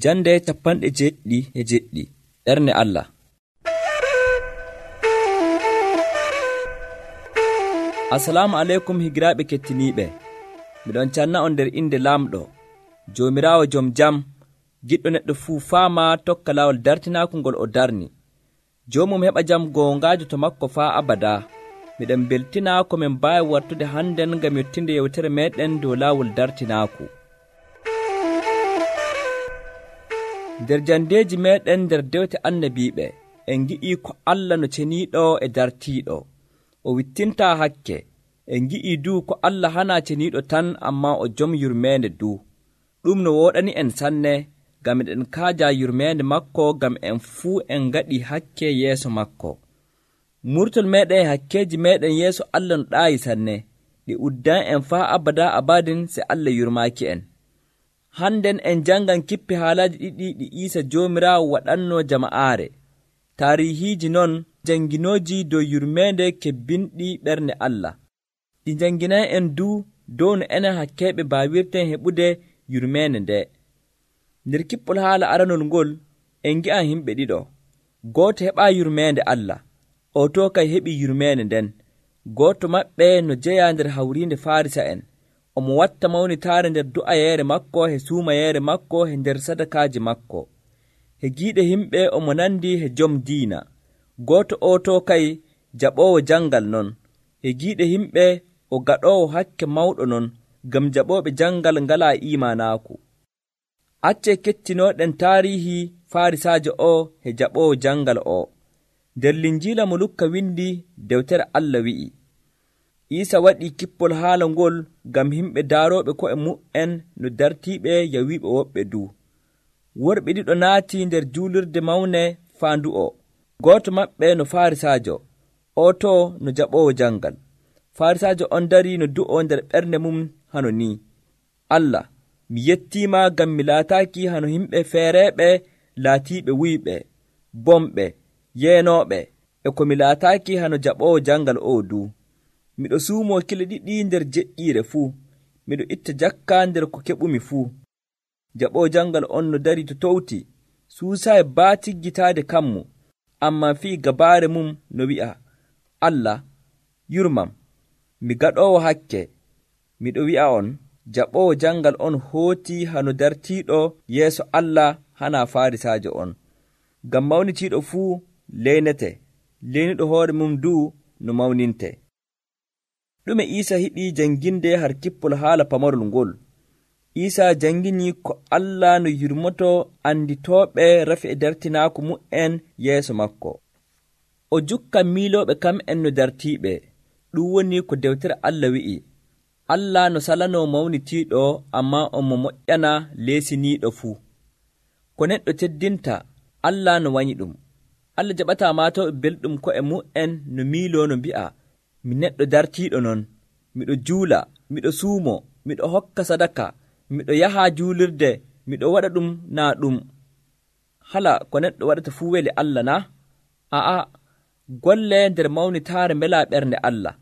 Jande 77 ɓernde Allah. Assalamu aleykum higiraaɓe kettiniiɓe. Miɗon canna on nder inde Laamɗo, Joomiraawo jom jam, giɗɗo neɗɗo fuu faama tokka laawol dartinaaku ngol o darni. Joomum heɓa jam goongaajo to makko faa abada. Miɗen beltinaa ko min mbaawi wartude hannden ngam yottinde yewtere meeɗen dow laawol dartinaaku. Nder jandeeji meeɗen nder dewte annabiiɓe, en ngi'ii ko Allah no ceniiɗo e dartiiɗo. O wittintaa hakke. En ngi'ii duu ko Allah hanaa ceniiɗo tan, ammaa o jom yurmeende duu. Ɗum no wooɗani en sanne, ngam eɗen kaajaa yurmeende makko, ngam en fuu en ngaɗii hakke yeeso makko. Murtol meeɗen e hakkeeji meeɗen yeeso Allah no ɗaayi sanne, ɗi uddan en faa abada abadin se Allah yurmaaki en. Hannden en janngan kippi haalaaji ɗiɗi ɗi Iisa Joomiraawo waɗannoo jama'aare. Taariihiiji non janginooji dow yurmeende kebbinɗi ɓernde Allah. Ɗi janginay en duu dow no enen hakkeeɓe mbaawirten heɓude yurmeende nde. Nder kippol haala aranol ngol en ngi'an himɓe ɗiɗo. Gooto heɓaa yurmeende Allah, o to kay heɓii yurmeende nden. Gooto maɓɓe no jeyaa nder hawriinde Faarisa'en. Omo watta mawnitaare nder du'ayeere makko he suumayeere makko he nder sadakaaji makko. He giiɗe himɓe omo nandi he jom diina. Gooto o to kay jaɓoowo jangal non. He giiɗe himɓe o gaɗoowo hakke mawɗo non, ngam jaɓooɓe jangal ngalaa iimaanaaku. Accee kettinooɗen taariihi Faarisaajo o he jaɓoowo jangal o. Nder Linjiila mo Lukka windi dewtere Allah wi'i, Iisa waɗii kippol haala ngol ngam himɓe daarooɓe ko'e mu'en no dartiiɓe yawiiɓe woɓɓe duu. Worɓe ɗiɗo naatii nder juulirde mawne faandu'o. Gooto maɓɓe no Faarisaajo, o to no jaɓoowo jangal. Faarisaajo on darii no du'o nder ɓernde mum hano nii, Allah, mi yettiima ngam mi laataaki hano himɓe feereeɓe laatiiɓe wuyɓe, bomɓe, yeenooɓe, e ko mi laataaki hano jaɓoowo jangal o duu. Miɗo suumoo kile ɗiɗi nder jeƴƴiire fuu. Miɗo itta jakka nder ko keɓumi fuu. Jaɓoowo jangal on no darii to towti, suusaayi baatiggitaade kammu, ammaa fii gabaare mum no wi'a, Allah, yurmam, mi gaɗoowo hakke. Miɗo wi'a on, jaɓoowo jangal on hootii hano dartiiɗo yeeso Allah hanaa Faarisaajo on. Ngam mawnitiiɗo fuu leynete, leynuɗo hoore mum duu no mawninte. Ɗume Iisa hiɗii jannginde har kippol haala pamarol ngol? Iisa janngini ko Allah no yurmoto anditooɓe rafi e dartinaaku mu'en yeeso makko. O jukkan miilooɓe kam'en no dartiiɓe. Ɗum woni ko dewtere Allah wi'i, Allah no salanoo mawnitiiɗo, ammaa on mo moƴƴana leesiniiɗo fuu. Ko neɗɗo teddinta, Allah no wanyi ɗum. Allah jaɓataa maatooɓe belɗum ko'e mu'en no miiloo no mbi'a, mi neɗɗo dartiiɗo non, miɗo juula, miɗo suumo, miɗo hokka sadaka, miɗo yaha juulirde, miɗo waɗa ɗum naa ɗum. Hala ko neɗɗo waɗata fuu weli Allah na? A'a, golle nder mawnitaare mbelaa ɓernde Allah.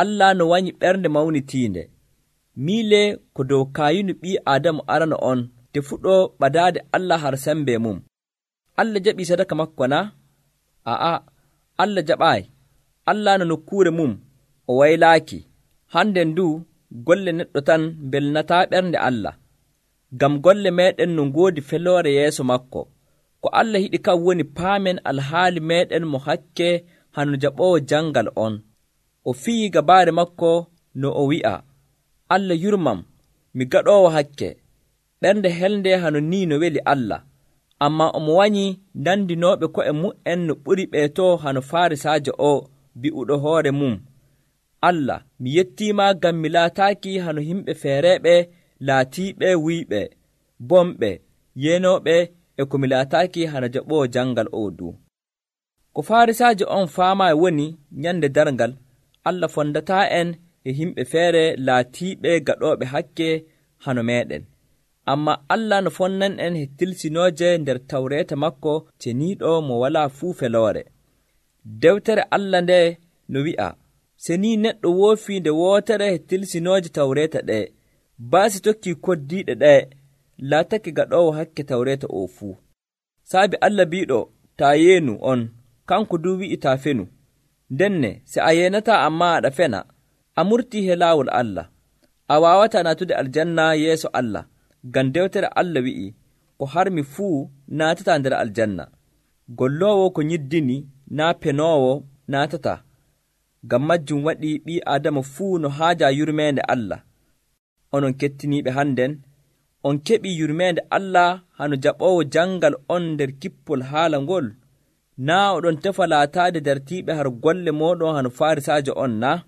Allah no wanyi ɓernde mawnitiinde. Miile ko dow kaayinu ɓii Aadamu arano on, te fuɗɗo ɓadaade Allah har sembe mum. Allah jaɓii sadaka makko na? A'a, Allah jaɓaayi. Allah no nokkuure mum o waylaaki. Handen du golle neɗɗo tan belnataa ɓernde Allah. Ngam golle meeɗen no ngoodi feloore yeeso makko. Ko Allah yiɗi kam woni paamen alhaali meeɗen mo hakke hano jaɓoowo jangal on. O fiyi gabaare makko no o wi'a, Allah yurmam, mi gaɗoowo hakke. Ɓernde helnde hano ni no weli Allah. Ammaa omo wanyi nandinooɓe ko'e mu'en no ɓuri ɓeeto hano Faarisaajo o bi'uɗo hoore mum, Allah, mi yettiima ngam mi laataaki hano himɓe feereeɓe laatiiɓe wuyɓe, bomɓe, yeenooɓe, e ko mi laataaki hano jaɓoowo jangal o duu. Ko Faarisaajo on faamaayi woni nyande darngal, Allah fondataa en e himɓe feere laatiiɓe gaɗooɓe hakke hano meeɗen. Ammaa Allah no fonnan en he tilsinooje nder tawreeta makko ceniiɗo mo walaa fuu feloore. Dewtere Allah nde no wi'a, se ni neɗɗo woofii nde wootere he tilsinooje tawreeta ɗe, baasi tokkii koddiiɗe ɗe, laatake gaɗoowo hakke tawreeta oo fuu. Saabi Allah biiɗo taa yeenu on, kanko duu wi'i taa fenu. Ndenne se a yeenataa ammaa aɗa fena, a murtii he laawol Allah. A waawataa naatude aljanna yeeso Allah, ngam dewtere Allah wi'i, ko harmi fuu naatataa nder aljanna. Golloowo ko nyiddini naa penoowo naatataa. Ngam majjum waɗi ɓii Aadama fuu no haaja yurmeende Allah. Onon kettiniiɓe hannden, on keɓii yurmeende Allah hano jaɓoowo jangal on nder kippol haala ngol. Naa oɗon tefa laataade dartiiɓe har golle mooɗon hano Faarisaajo on naa?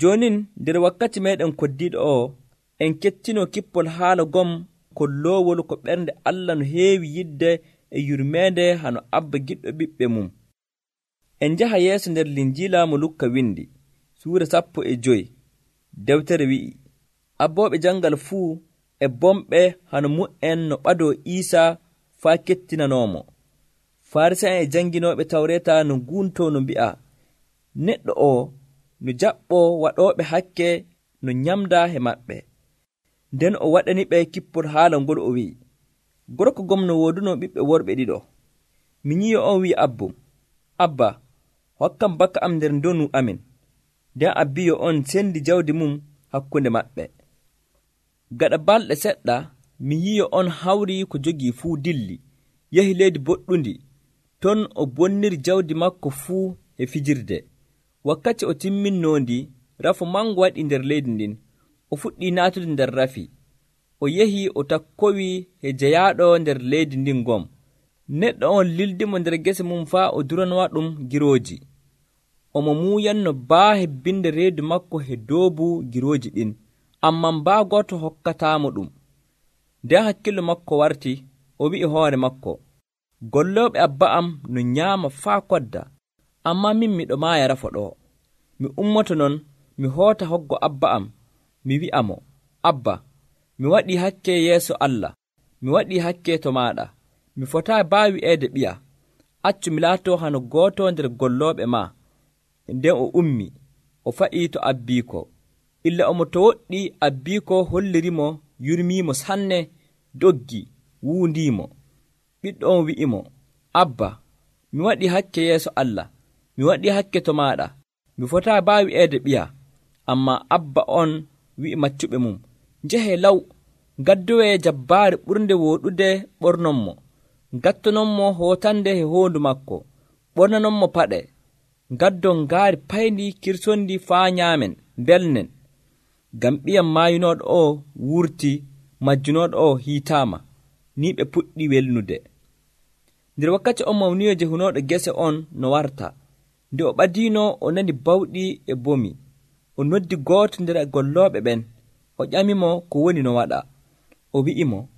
Joonin nder wakkati meeɗen koddiiɗo o, en kettinoo kippol haala gom kolloowol ko ɓernde Allah no heewi yidde e yurmeende hano Abba giɗɗo ɓiɓɓe mum. En njaha yeeso nder Linjiila mo Lukka windi, suura 15. Dewtere wi'i, abbooɓe jangal fuu e bomɓe hano mu'en no ɓadoo Iisaa faa kettinanoomo. Farisa'en e janginooɓe tawreeta no nguuntoo no mbi'a, neɗɗo o no jaɓɓoo waɗooɓe hakke no nyamdaa he maɓɓe. Nden o waɗani ɓe kippol haala ngol o wi'i, gorko gom no woodunoo ɓiɓɓe worɓe ɗiɗo. Minyiyo on wi'i abbum, Abba, hokkam baka am nder ndonu amin. Nden abbiyo on sendi jawdi mum hakkunde maɓɓe. Gaɗa balɗe seɗɗa, minyiyo on hawri ko jogii fuu dilli, yahi leydi boɗɗundi, ton o bonniri jawdi makko fuu e fijirde. Wakkati o timminnoondi, rafu mango waɗi nder leydi ndin. O fuɗɗii naatude nder rafi. O yehi o takkowi e jeyaaɗo nder leydi ndin ngom. Neɗɗo on lildimo nder gese mum faa o duranowa ɗum girooji. Omo muuyanno baa hebbinde reedu makko he doobu girooji ɗin, amman baa gooto hokkataamo ɗum. Nden hakkillo makko warti, o wi'i hoore makko, gollooɓe abba am no nyaama faa kodda, ammaa min miɗo maaya rafo ɗo. Mi ummoto non, mi hoota hoggo abba am, mi wi'amo, Abba, mi waɗii hakke yeeso Allah, mi waɗii hakke to maaɗa, mi fotaa baa wi'eede ɓiya, accu mi laatoo hano gooto nder gollooɓe maa. Nden o ummi, o fa'ii to abbiiko. Illa omo to woɗɗi abbiiko hollirimo, yurmiimo sanne, doggi, wuundiimo. Ɓiɗɗo on wi'imo, Abba, mi waɗii hakke yeeso Allah, mi waɗii hakke to maaɗa, mi fotaa baa wi'eede ɓiya. Ammaa abba on wi'i maccuɓe mum, njehee law, ngaddoyee jabbaare ɓurnde wooɗude ɓornonmo, ngattononmo hootande he hoondu makko, ɓornanonmo paɗe, ngaddon ngaari payndi kirsondi faa nyaamen, mbelnen. Ngam ɓiyam maayinooɗo o wurti, majjunooɗo o hiitaama, ni ɓe puɗɗi welnude. Nder wakkati on mawniyo jehunooɗo gese on no warta. Nde o ɓadiino o nani bawɗi e bomi. O noddi gooto nder gollooɓe ɓen. O ƴamimo ko woni no waɗa. O wi'imo,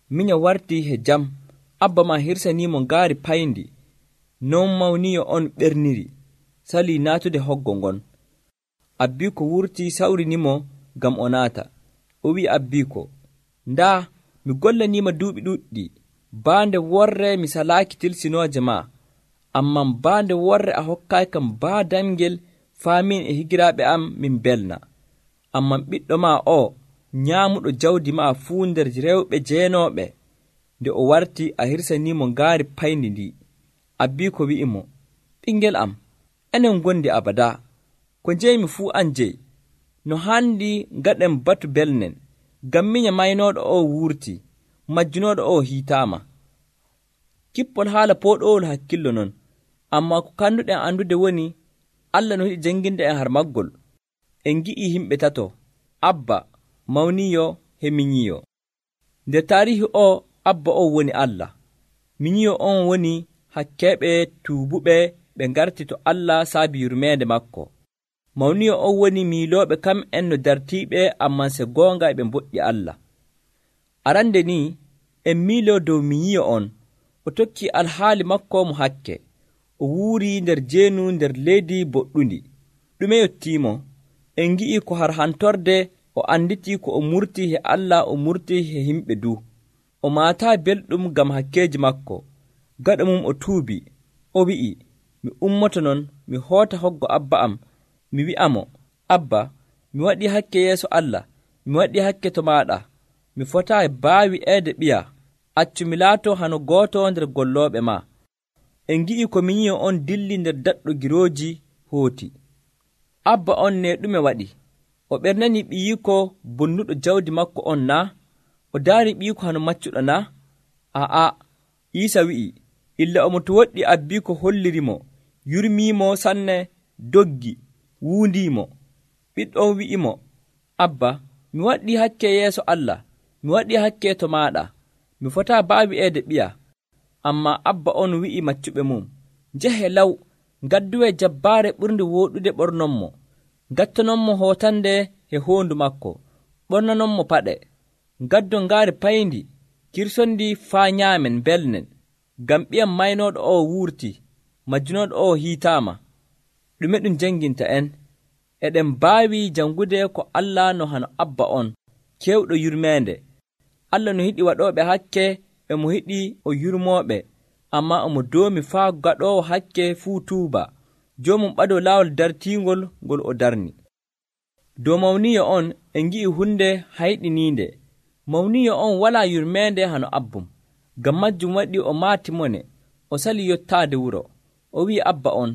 minya wartii he jam, abba ma hirsaniimo ngaari payndi. Non mawniyo on ɓerniri, salii naatude hoggo ngon. Abbiiko wurtii sawrinimo ngam o naata. O wi'i abbiiko, ndaa mi gollaniima duuɓi ɗuɗɗi, baande worre mi salaaki tilsinooje ma, amman baande worre a hokkaay kam baa damgel faamin e higiraaɓe am min belna. Amman ɓiɗɗo ma o nyaamuɗo jawdi ma fuu nder rewɓe jeenooɓe. Nde o warti a hirsaniimo ngaari payndi ndi. Abbiiko wi'imo, ɓingel am, enen gondi abada, ko njeymi fuu an jeyi. No handi ngaɗen batu belnen, ngam minya maynooɗo o wurti, majjunooɗo o hiitaama. Kippol haala pooɗowol hakkillo non, ammaa ko kanduɗen andude woni Allah no yiɗi janginde en har maggol. En gi'ii himɓe tato, Abba, mawniyo he minyiyo. Nder taarihi o, Abba o woni Allah, minyiyo on woni hakkeeɓe tuubuɓe ɓe ngarti to Allah saabi yurmeende makko. Mawniyo on woni miilooɓe kam en no dartiiɓe amman se goonga ɓe mboɗɗi Allah. Arande ni en miiloo dow minyiyo on, o tokki alhaali makko mo hakke, o wuuri nder jeenu nder leydi boɗɗundi. Ɗume yottiimo? En ngi'i ko har hantorde o anditii ko o murtii he Allah, o murtii he himɓe du. O maataa belɗum ngam hakkeeji makko. Gaɗa mum o tuubi, o wi'i, mi ummoto non, mi hoota hoggo abba am, mi wi'amo, Abba, mi waɗii hakke yeeso Allah, mi waɗii hakke to maaɗa, mi fotaa baawi eede ɓiya, accu mi laato hano gooto nder gollooɓe ma. En ngi'i ko minyiyo on dilli nder daɗɗo girooji hooti. Abba on ne ɗume waɗi? O ɓernani ɓiyiiko bonnuɗo jawdi makko on naa? O daari ɓiyiiko hano maccuɗo naa? Aa, Iisa wi'i, illa omo to woɗɗi abbiiko hollirimo, yurmiimo sanne, doggi, wuundiimo. Ɓiɗɗo on wi'imo, Abba, mi waɗii hakke yeeso Allah, mi waɗii hakke to maaɗa, mi fotaa baawi eede ɓiya. Ammaa abba on wi'i maccuɓe mum, njehe law, ngadduwee jabbaare ɓurnde wooɗude ɓornonmo, ngattanonmo hootande e hoondu makko, ɓornanonmo paɗe, ngaddon ngaari payndi, kirsondi faa nyaamen mbelnen, ngam ɓiyam maynooɗo o wuurtii, majjunooɗo o hiitaama. Ɗume ɗum janginta en? Eɗen mbaawi jangude ko Allah no hano abba on, kewɗo yurmeende. Allah no yiɗi waɗooɓe hakke e mo yiɗi o yurmooɓe, ammaa omo doomi faa gaɗoowo hakke fuu tuuba, joomum ɓadoo laawol dartiingol ngol o darni. Dow mawniyo on en ngi'i hunde hayɗiniinde. Mawniyo on walaa yurmeende hano abbum, ngam majjum waɗi o maati mone, o sali yottaade wuro. O wi'i abba on,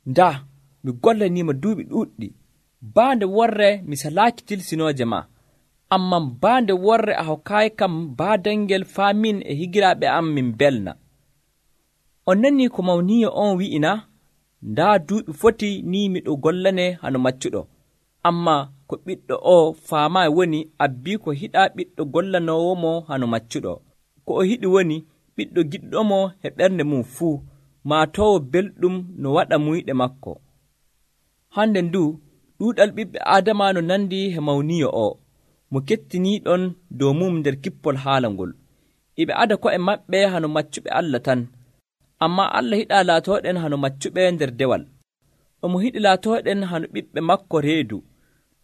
ndaa, mi gollaniima duuɓi ɗuuɗɗi, baande worre mi salaaki tilsinooje ma, ammaa baande worre a hokkaayi kam baadangel faa min e higiraaɓe am min belna. On nanii ko mawniyo on wi'ina, ndaa duuɓi foti ni miɗo gollane hano maccuɗo, ammaa ko ɓiɗɗo o faamaayi woni abbii ko hiɗaa ɓiɗɗo gollanoowomo hano maccuɗo. Ko o hiɗi woni ɓiɗɗo giɗɗomo e ɓernde mum fuu, maatoowo belɗum no waɗa muyɗe makko. Hande ndu ɗuuɗal ɓiɓɓe Aadama no nandi e mawniyo o, mo kettiniiɗon dow mum nder kippol haala ngol. Iɓe ada ko'e maɓɓe hano maccuɓe Allah tan, ammaa Allah hiɗaa laatooɗen hano maccuɓe nder dewal. Omo hiɗi laatooɗen hano ɓiɓɓe makko reedu.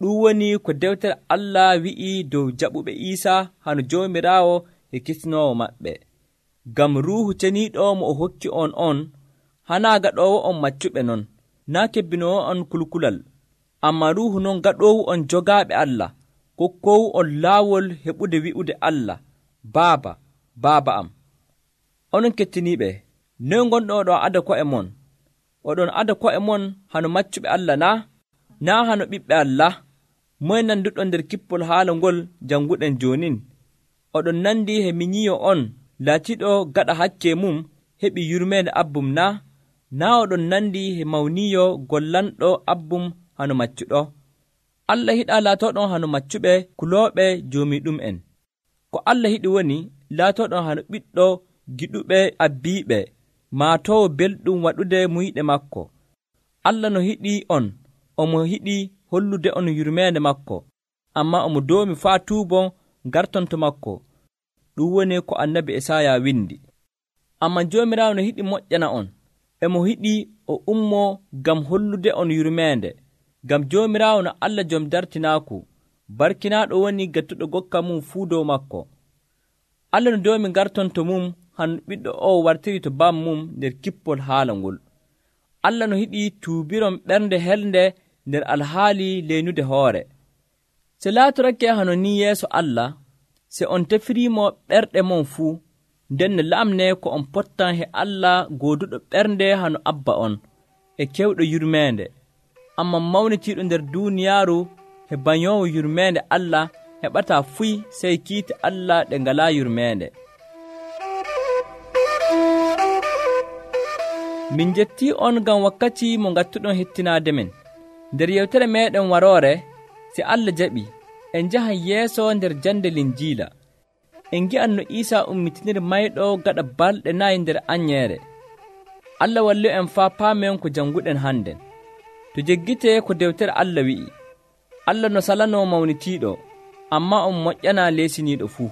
Ɗum woni ko dewtere Allah wi'i dow jaɓuɓe Iisa hano Joomiraawo e kisnoowo maɓɓe. Ngam Ruuhu Ceniiɗo mo o hokki on, hanaa gaɗoowo on maccuɓe non, naa kebbinoowo on kulkulal, ammaa Ruuhu non gaɗoowu on jogaaɓe Allah, kokkoowu on laawol heɓude wi'ude Allah, Baaba, Baaba am. Onon kettiniiɓe, noy ngonɗon oɗon ada ko'e mon? Oɗon ada ko'e mon hano maccuɓe Allah naa? Naa hano ɓiɓɓe Allah? Moye nanduɗon nder kippol haala ngol janguɗen joonin? Oɗon nandi he minyiyo on laatiɗo gaɗa hakke mum heɓi yurmeende abbum naa? Naa oɗon nandi he mawniyo gollanɗo abbum hano maccuɗo? Allah hiɗaa laatoɗon hano maccuɓe kulooɓe joomiɗum'en. Ko Allah hiɗi woni laatoɗon hano ɓiɗɗo giɗuɓe abbiiɓe, maatoowo belɗum waɗude muyɗe makko. Allah no hiɗi on, omo hiɗi hollude on yurmeende makko, ammaa omo doomi faa tuubon garton to makko. Ɗum woni ko annabi Esaaya windi. Ammaa Joomiraawo no hiɗi moƴƴana on, emo hiɗi o ummoo ngam hollude on yurmeende, ngam Joomiraawo no Allah jom dartinaaku, barkinaaɗo woni gettuɗo gokka mum fuu dow makko. Allah no doomi garton to mum han ɓiɗɗo o wartiri to bam mum nder kippol haala ngol. Allah no hiɗi tuubiron ɓernde helde nder alhaali leynude hoore. Se laatorake hano ni yeeso Allah, se on tefiriimo ɓerɗe mon fuu, nden ne lamne ko on pottan he Allah gooduɗo ɓernde hano abba on e kewɗo yurmeende, amma mawnitiiɗo nder duuniyaaru he bañoowo yurmeende Allah heɓataa fuy sey kiite Allah ɗe ngalaa yurmeende. Min jettii on ngam wakkati mo ngattuɗon hettinaade men. Nder yewtere meeɗen waroore, si Allah jaɓi, en njahan yeeso nder jande Linjiila. En ngi'an no Iisaa ummitiniri mayɗo gaɗa balɗe 4 nder anyeere. Allah wallu en faa paamen ko janguɗen hannden. To jeggitee ko dewtere Allah wi'i, Allah no salanoo mawnitiiɗo, ammaa on moƴƴanaa leesiniiɗo fuu.